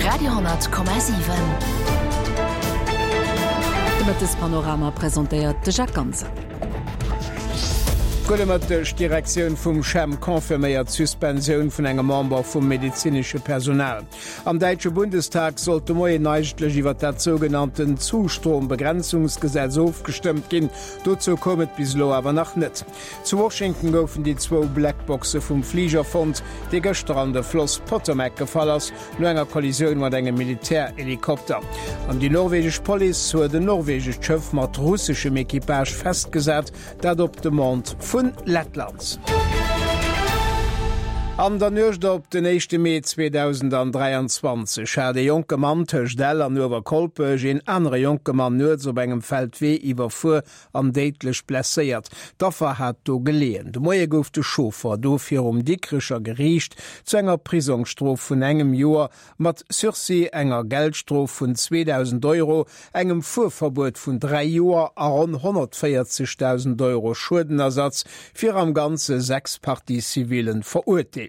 Radio,7. De Mëttespanorama presentéiert de Jacques Ganser. Gudde Mëtteg, D'Direktioun vum CHEM confirméiert d'Suspensioun vun engem Member vum medezinesche Personal. Am däitsche Bundestag sollt de Moien eigentlech iwwer dat sougenannten Zustrombegrenzungsgesetz ofgestëmmt ginn. Dozou koum et bis elo awer nach net. Zu Washington goufen déi zwou Blackboxe vum Fliger fonnt, dee gëschter an de Floss Potomac gefall ass, no enger Kollisioun mat engem Militärhelikopter. An déi norwegesch Police huet en norwegescht Schëff mat russeschem Equipage festgesat, dat op Demande vun Lettland. An der Nuecht op den éischte Mee 2023 hat e jonke Mann tëscht Ell an Uewerkolpech een anere jonke Mann nuets op engem Feldwee iwwerfuer an déidlech blesséiert. D'Affer hat do geleeën. De Moie gouf de Chauffer do virum Dikrecher Geriicht zu enger Prisongsstrof vun engem Joer mat Sursis, enger Geldstrof vun 2.000 Euro, engem Fuerverbuet vun 3 Joer a ronn 140.000 Euro Schuedenersatz fir am Ganze 6 Partie-civillen verurteelt.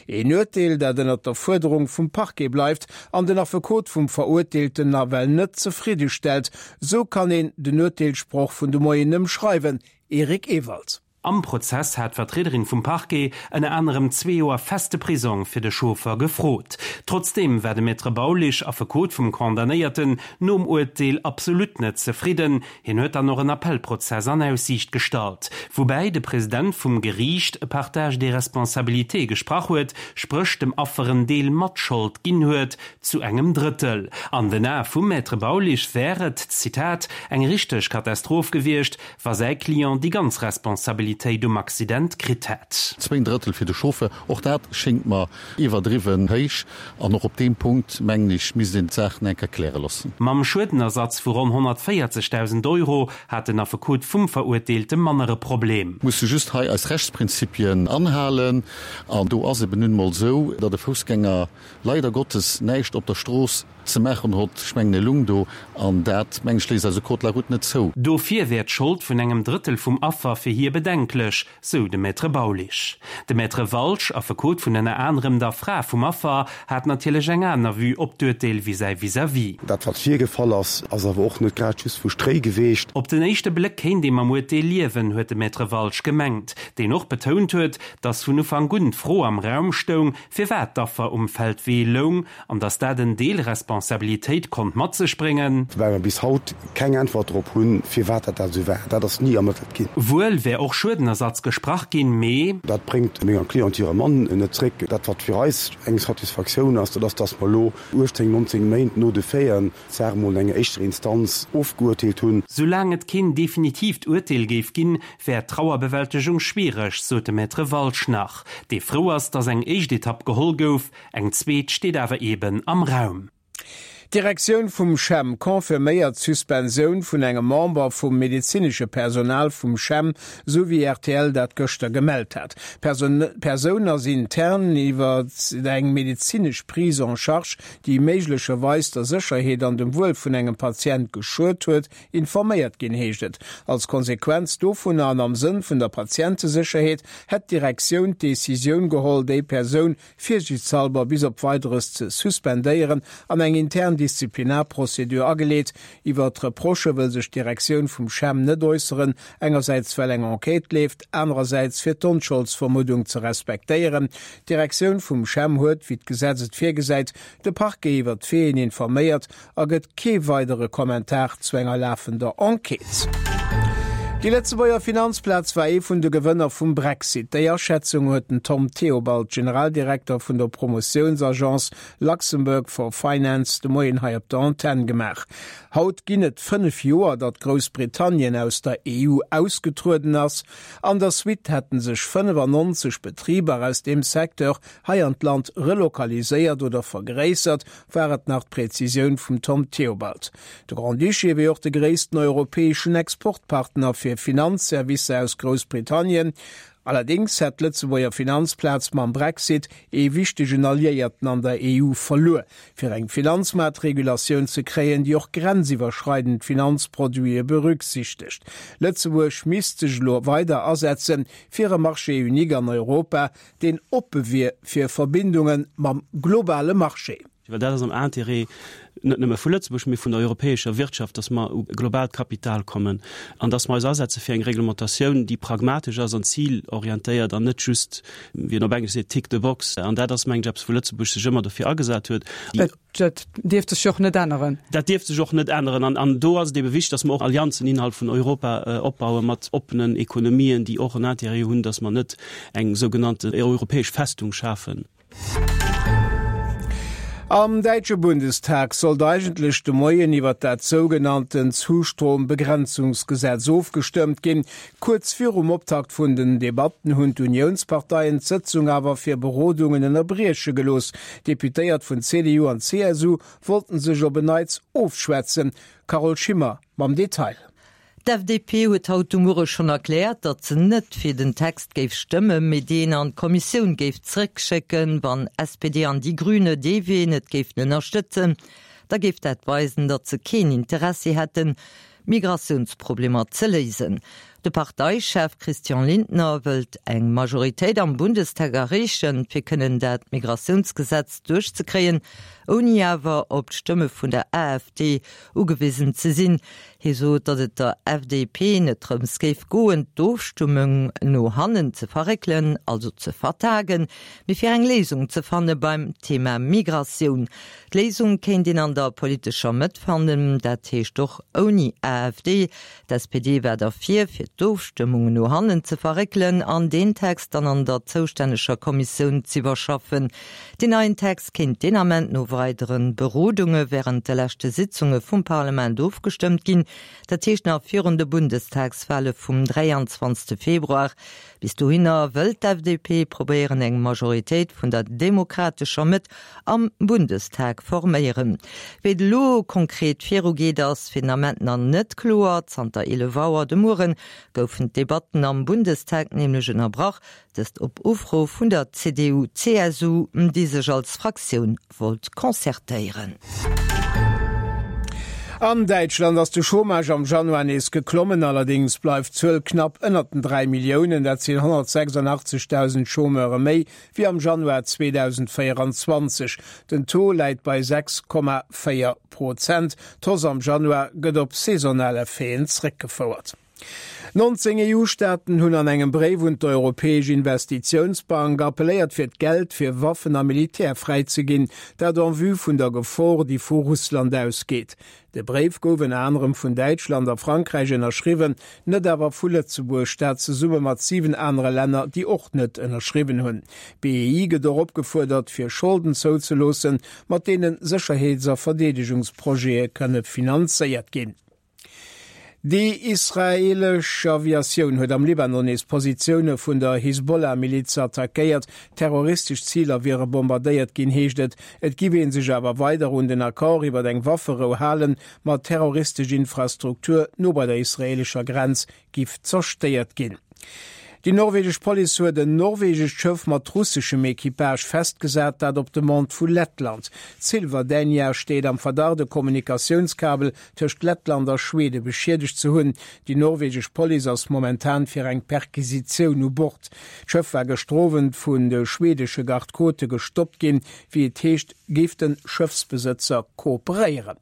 Een Urteel, dat ënnert der Fuerderung vum Parquet bleift an den Affekot vum Verurteelten nawell net zefridde stellt, Sou kann een den Urteelssproch vun de Moien ëmschreiwen, Eric Ewald. Am Prozess hat d'Vertriederin vum Parquet ënner anerem zwee Joer feste Prisong fir de Chauffer gefrot. Trotzdeem war de Maître Baulisch, Affekot vum Condamnéierten, nom Urteel absolut net zefridden. Hien huet dann och en Appellprozess an Aussiicht gestallt, woubäi de President vum Geriicht e Partage des responsabilités gesprach huet, spréch dem Affer en Deel Matschold ginn huet, Zu engem Drëttel. An den Ae vum Maître Baulisch wär et, Zitat, eng richteg Katastroph gewiescht, wa säi Client déi ganz Responsabilitéit um Accident kritt hätt. Zwéin Drëttel fir de Chauffeur, och dat schéngt mer iwwerdriwwen héich. An och op deem Punkt, mengen ech, misst een d'Saach nach eng Kéier kläre loossen. Mam Schuedenersatz vu ronn 140.000 Euro hat den Affekot vum Verurteelte manner e Problem. Musse just hei eis Rechtsprinzipien anhalen. An do ass eben nun emol esou, datt e Foussgänger leider Gottes näischt op der Strooss ze maachen hott, ech mengen e lung do, an dat, mengen ech, léisst eise Code de la route net zou. Dofir wär d'Schold vun engem Drëttel vum Affer fir hie bedenklech, sou de Maître Baulisch. De Maître Walsch, Affekot vun ënner anerem der Fra vum Affer, hat natierlech eng aner Vue op d'Urteel wéi säi Vis-à-vis. Dat wat virgefall ass, ass awer och net grad just vu Stréi geweecht. Op den éischte Bléck kéint ee mam Urteel liewen, huet de Maître Walsch gemengt, deen och betount huet, datt vun Ufank un d'Fro am Raum stoung, Firwat d'Affer um Feldwee loung an datt dat en Deel Responsabilitéit konnt mat sech bréngen. Woubäi mer bis haut keng Äntwert drop hunn, firwat dat dat esou war. Dat ass ni ermëttelt ginn. Wuel wär och Schuedenersatz gesprach ginn, mee. Dat bréngt menger Cliente hire Mann net zréck. Dat wat fir eis eng Satisfaktioun ass, dat ass, datt mer elo 18, 19 Méint no de Faiten d'Saach emol an enger éischter Instanz ofgeuerteelt hunn. Soulaang et keen definitiivt Urteel géif ginn, wär d'Trauerbewältegung schwiereg, sot de Maître Walsch nach, dee frou ass, datt eng éischt Etapp geholl gouf. Eng zweet steet awer eeben am Raum. D'Direktioun vum CHEM confirméiert d'Suspensioun vun engem Member vum medezinesche Personal vum CHEM, sou wéi rtl dat gëschter gemellt hat. D'Persoun ass intern iwwer eng medezinesch Prise en charge, déi méiglecherweis der Sécherheet an dem Wuel vun engem Patient geschuet huet, informéiert ginn, heescht et. Als Konsequenz dovunner an am Sënn vun der Patientesécherheet hätt d'Direktioun d'Decisioun geholl, déi Persoun virsiichtshalber bis op Weideres ze suspendéieren an eng intern Disziplinarprozedur ageleet. Iwwer d'Reprochë wëll sech d'Direktioun vum CHEM net äusseren, engersäits well eng Enquête leeft, anerersäits fir d'Onscholdsvermuddung ze respektéieren. D'Direktioun vum CHEM huet, wéi d'Gesetz et virgesäit, de Parquet iwwer d'Faiten informéiert a gëtt kee weidere Kommentar zu enger lafender Enquête. Déi Lëtzebuerger Finanzplaz war ee vun de Gewënner vum Brexit. Déi Aschätzung huet den Tom Theobald, Generaldirekter vun der Promotiounsagence Luxembourg for Finance, de Moien hei op der Antenn gemaach. Haut ginn et 5 Joer, datt Groussbritannien aus der EU ausgetrueden ass. An der Suite hätte sech 95 Betriber aus deem Secteur hei an d'Land relokaliséiert oder vergréissert, war et nach d'Präzisioun vum Tom Theobald. De Grand-Duché wier och de gréissten europäeschen Exportpartner fir Finanzservicer aus Groussbritannien. Allerdéngs hätt d'Lëtzebuerger Finanzplaz mam Brexit ee wichtegen Alliéierten an der EU verluer. Fir eng Finanzmaartregulatioun ze kréien, déi och grenziwwerschreidend Finanzproduite berücksichtegt. Lëtzebuerg misst sech elo weider asetze fir e Marché unique an Europa, deen oppe wier fir Verbindunge mam globale Marché. Well dat ass am Intérêt net nëmme vu Lëtzebuerg, mee vun der europäescher Wirtschaft, dass mer u globaalt Kapital kommen an dass mer eis asetze fir eng Reglementatioun, déi pragmatesch ass an zilorientéiert an net just, wéi een op Englesch seet, tick the box. An dat ass, mengen ech, eppes, wou Lëtzebuerg sech ëmmer dofir agesat huet. Dat dierft sech jo och net änneren. Dat dierft sech och net änneren. An, an do ass et ebe wichtig, dass mer och Allianzen innerhalb vun Europa opbaue mat oppenen Ekonomien, déi och en Intérêt hunn, dass mer net eng sougenannte europäesch Festung schafen. Am däitsche Bundestag sollt eigentlech de Moien iwwer dat sougenannten Zustrombegrenzungsgesetz ofgestëmmt ginn. Kuerz virum Optakt vun den Debatten hunn d'Uniounsparteien d'Sëtzung awer fir Berodungen ënnerbrieche gelooss. Deputéiert vun CDU an CSU wollten sech op en Neits ofschwätzen. Carole Schimmer mam Detail. D'FDP huet haut de Muere schonn erkläert, datt se net fir den Text géif stëmmen, mee deen an d'Kommissioun géif zréckschécken. Wann SPD an Die Grüne dee Wee net géifen ënnerstëtzen, da géif dat weisen, datt se keen Interessi hätten, d'Migratiounsproblemer ze léisen. De Parteichef Christian Lindner wëllt eng Majoritéit am Bundestag erreechen, fir kënnen dat Migratiounsgesetz duerchzekréien, ouni awer op d'Stëmme vun der AfD ugewisen ze sinn. Hie sot, datt et der FDP net drëms géif goen, d'Ofstëmmung no hannen ze verréckelen, also ze vertagen, mee fir eng Léisung ze fanne beim Thema Migratioun. D'Léisung kéint een an der politescher Mëtt fannen, dat heescht och ouni AfD. D'SPD war derfir, fir d'Ofstëmmung no hannen ze verréckelen an deen Text dann an der zoustänneger Kommissioun z'iwwerschaffen. Deen neien Text kéint deen Ament no weidere Berodunge wärend de leschte Sitzunge vum Parlement ofgestëmmt ginn, dat heescht nach virun de Bundestagswale vum 23. Februar. Bis dohinner wëll d'FDP probéieren eng Majoritéit vun der demokratescher Mëtt am Bundestag forméieren. Wéi et elo konkret virugeet ass fir den Ament nach net kloer. Zanter 11 Auer de Muere goufen d'Debatten am Bundestag nämlech ënnerbrach. Dëst op Ufro vun der CDU-CSU, déi sech als Fraktioun wollt concertéieren. An Däitschland ass de Chômage am Januar nees geklommen, allerdéngs bleift d'Zuel knapp ënnert den 3 Milliounen. Dat sinn 186.000 Chômeure méi wéi am Januar 2024. Den Taux läit bei 6,4 Prozent. D'Hausse am Januar gëtt op saisonal Effeten zréckgefouert. 19 EU-Staaten hunn an engem Bréif un d'Europäesch Investitiounsbank appelléiert fir d'Geld fir Waffen a Militär fräizeginn, dat en vue vun der Gefor, déi vu Russland ausgeet. De Bréif gouf ënner anerem vun Däitschland a Frankräich ënnerschriwwen, net awer vu Lëtzebuerg, dat zesumme mat 7 anere Länner, déi och net ënnerschriwwen hunn. D'BEI gëtt och opgefuerdert, fir Scholden zouzeloossen, mat deene Sécherheets a Verdeedegungsprojete kënne finanzéiert ginn. Déi israeelesch Aviatioun huet am Libanon nees Positioune vun der Hisbollah-Miliz attackéiert. Terroristesch Ziler wiere bombardéiert ginn, heescht et. Et giff ee sech awer weider un den Accord iwwer eng Wafferou halen, ma terroristesch Infrastruktur no bei der israeelescher Grenz giff zerstéiert ginn. Déi norwegesch Police huet en norwegescht Schëff mat russeschem Equipage festgesat, dat op Demande vu Lettland. D'Silver Dania steet am Verdacht, e Kommunikatiounskabel tëscht Lettland a Schwede beschiedegt ze hunn. Déi norwegesch Police ass momentan fir eng Perquisitioun u Bord. D'Schëff war gëschter Owend vun de schwedesche Garde-côte gestoppt ginn. Wéi et heescht, géif de Schëffsbesëtzer kooperéieren.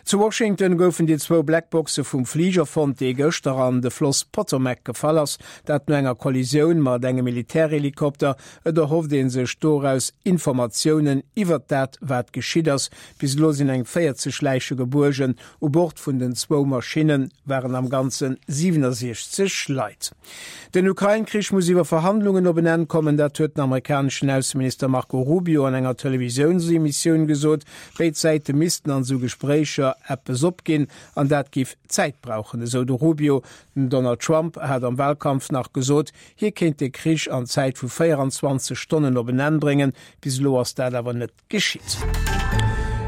Zu Washington goufen déi zwou Blackboxe vum Fliger fonnt, dee gëschter an de Floss Potomac gefall ass. Dat no enger Kollisioun mat engem Militärhelikopter. Et erhofft ee sech doraus Informatiounen iwwert dat, wat geschitt ass. Bis elo sinn eng 40 Läiche gebuergen. U Bord vun den zwou Maschinne waren am Ganze 67 Leit. Den Ukrain-Krich muss iwwer Verhandlungen op en Enn kommen, dat huet den amerikaneschen Ausseminister Marco Rubio an enger Televisiounsemissioun gesot. Béid Säite missten an esou Gespréicher eppes opginn an dat giff Zäit brauchen, esou de Rubio. Den Donald Trump hat am Walkampf nach gesot, hie kéint de Krich an Zäit vu 24 Stonnen op en Enn bréngen. Bis elo ass dat awer net Geschitt.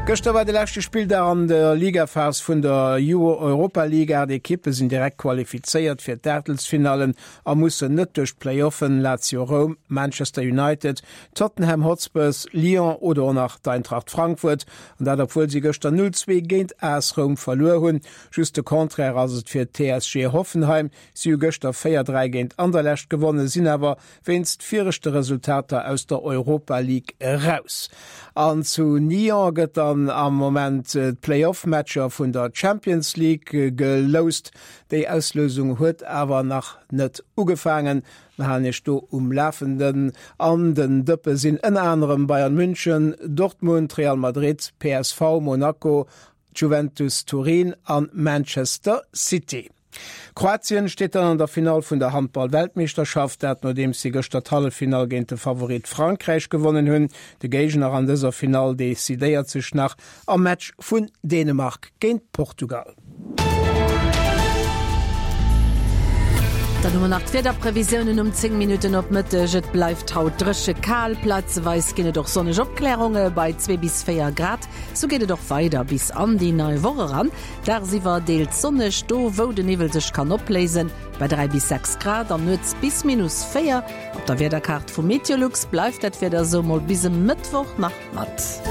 Gëschter war de leschte Spilldag an der Ligaphas vun der Europa League. 8 Ekippe sinn direkt qualifizéiert fir d'Aachtelsfinallen a mussen net duerch d'Playoffen, Lazio Roum, Manchester United, Tottenham Hotspurs, Lyon oder och nach d'Eintracht Frankfurt. An dat obwuel si gëschter 0, 2 géint AS Roum verluer hunn. Just de Contraire ass et fir d'TSG Hoffenheim. Si hu gëschter 4, 3 géint Anderlecht gewonnen, sinn awer wéinst viregte Resultater aus der Europa League eraus. An zu Nyon gëtt dann am Moment d'Play-off-Matcher vun der Champions League geloust. Déi Auslousung huet awer nach net ugefaangen. Mir halen Iech do um Lafenden. An den Dëppe sinn ënner anerem Bayern München, Dortmund, Real Madrid, PSV, Monaco, Juventus Turin an Manchester City. Kroatien steet dann an der Finall vun der Handball-Weltmeeschterschaft, dat nodeems si gëschter d'Halleffinall géint de Favorit Frankräich gewonnen hunn. De Géigner an dëser Finall decidéiert sech nach am Match vun Dänemark géint Portugal. Dann hu mer nach d'Wiederprevisiounen um 10 Minutten op Mëtteg. Et bleift haut dréche kal, plazeweis ginn et och sonneg Opklärunge bei 2 bis 4 Grad. Sou geet et och weider bis an déi nei Woch eran. Dagsiwwer deels sonneg, do wou de Niwwel sech kann opléisen, bei 3 bis 6 Grad an nuets bis minus 4. Op der Wiederkaart vu Meteolux bleift dat Wieder esou mol bis e Mëttwoch nach mat.